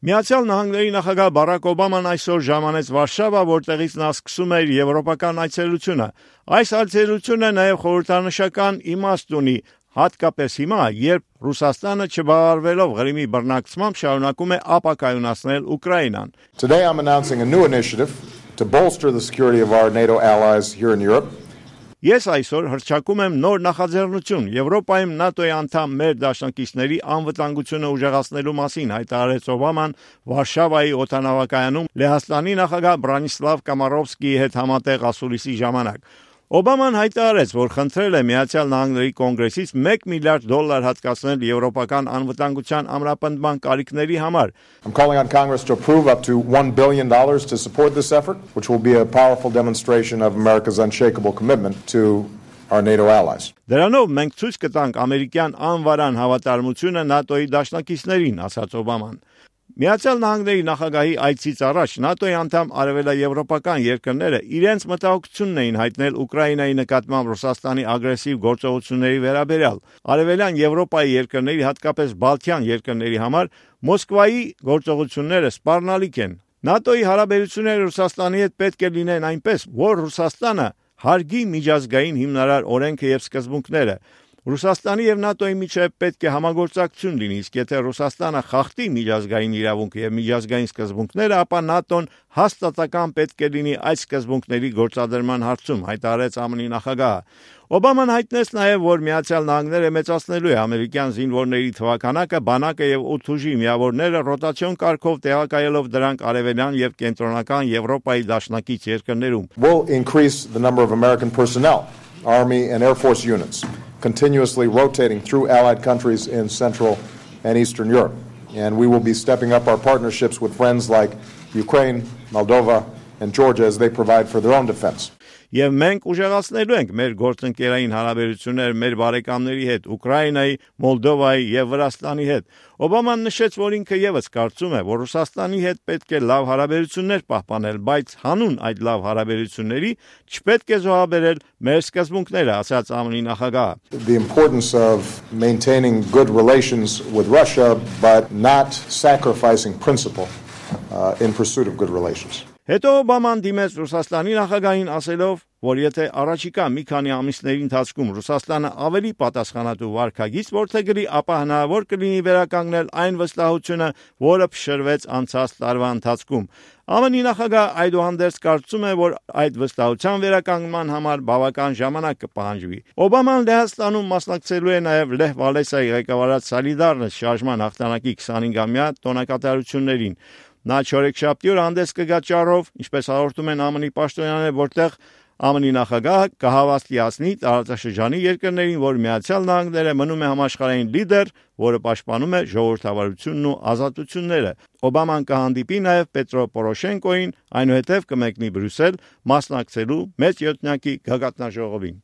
Միացյալ Նահանգների նախագահ Բարակ Օբաման այսօր ժամանեց Վարշավա, որտեղից նա սկսում էր եվրոպական այցելությունը։ Այս այցելությունը նաև խորհրդանշական իմաստ ունի, հատկապես հիմա, երբ Ռուսաստանը չբավարարվելով Ղրիմի բռնակցմամբ շարունակում է ապակայունացնել Ուկրաինան։ Today I'm announcing a new initiative to bolster the security of our NATO allies here in Europe. Ես այսօր հռչակում եմ նոր նախաձեռնություն Եվրոպայում ՆԱՏՕ-ի անդամ մեր դաշնակիցների անվտանգությունը ուժեղացնելու մասին, հայտարարեց Օբաման Վարշավայի օդանավակայանում Լեհաստանի նախագահ Բրանիսլավ Կամարովսկիի հետ համատեղ ասուլիսի ժամանակ։ Օբաման հայտարարեց, որ խնդրել է Միացյալ Նահանգների կոնգրեսից $1 միլիարդ հատկացնել եվրոպական անվտանգության ամրապնդման կարիքների համար։ I'm calling on Congress to approve up to $1 billion to support this effort, which will be a powerful demonstration of America's unshakable commitment to our NATO allies. Դրանով մենք ցույց կտանք ամերիկյան անվարան հավատարմությունը ՆԱՏՕ-ի դաշնակիցներին, ասաց Օբաման։ Միացյալ Նահանգների նախագահի այցից առաջ ՆԱՏՕ-ի անդամ արևելաեվրոպական երկրները իրենց մտահոգությունն էին հայտնել Ուկրաինայի նկատմամբ Ռուսաստանի ագրեսիվ գործողությունների վերաբերյալ։ Արևելյան Եվրոպայի երկրների, հատկապես Բալթյան երկրների համար Մոսկվայի գործողությունները սպառնալիք են։ ՆԱՏՕ-ի հարաբերությունները Ռուսաստանի հետ պետք է լինեն այնպես, որ Ռուսաստանը հարգի միջազգային հիմնարար օրենքը եւ սկզբունքները։ Ռուսաստանի եւ ՆԱՏՕ-ի միջեւ պետք է համագործակցություն լինի, իսկ եթե Ռուսաստանը խախտի միջազգային իրավունքը եւ միջազգային սկզբունքները, ապա ՆԱՏՕ-ն հաստատակամ պետք է լինի այդ սկզբունքների գործադրման հարցում, հայտարարեց ԱՄՆ նախագահը։ Օբաման հայտնեց նաեւ, որ Միացյալ Նահանգները մեծացնելու է ամերիկյան զինվորների թվաքանակը, բանակը եւ օդուժի միավորները ռոտացիոն կարգով տեղակայելով դրանք արևելյան եւ կենտրոնական Եվրոպայի դաշնակից երկրներում։ We'll increase the number of American personnel, Army and Air Force units, continuously rotating through allied countries in Central and Eastern Europe. And we will be stepping up our partnerships with friends like Ukraine, Moldova, and Georgia as they provide for their own defense. Եվ մենք ուժեղացնելու ենք մեր գործընկերային հարաբերությունները մեր բարեկամների հետ, Ուկրաինայի, Մոլդովայի եւ Վրաստանի հետ։ Օբաման նշեց, որ ինքը եւս կարծում է, որ Ռուսաստանի հետ պետք է լավ հարաբերություններ պահպանել, բայց հանուն այդ լավ հարաբերությունների չպետք է զոհաբերել մեր սկզբունքները, ասաց ԱՄՆ նախագահը։ The importance of maintaining good relations with Russia but not sacrificing principle in pursuit of good relations. Հետո Օբաման դիմեց Ռուսաստանի նախագահին ասելով, որ եթե առաջիկա մի քանի ամիսների ընթացքում Ռուսաստանը ավելի պատասխանատու վարքագիծ որդեգրի, ապա հնարավոր կլինի վերականգնել այն վստահությունը, որը փշրվեց անցած տարվա ընթացքում։ ԱՄՆ նախագահը այդուհանդերձ կարծում է, որ այդ վստահության վերականգնման համար բավական ժամանակ կպահանջվի։ Օբաման Լեհաստանում մասնակցելու է նաև Լեհ Վալեսայի ղեկավարած Սոլիդարնոս շարժման հաղթանակի 25-ամյա տոնակատարություններին։ Նա չորեքշաբթի օր հանդես կգա ճառով, ինչպես հաղորդում են ԱՄՆ պաշտոնյաները, որտեղ ԱՄՆ նախագահը կհավաստիացնի տարածաշրջանի երկրներին, որ Միացյալ Նահանգները մնում է համաշխարհային լիդեր, որը պաշտպանում է ժողովրդավարությունն ու ազատությունները։ Օբաման կհանդիպի նաև Պետրո Պորոշենկոին, այնուհետև կմեկնի Բրյուսել մասնակցելու մեծ յոթնյակի գագաթնաժողովին։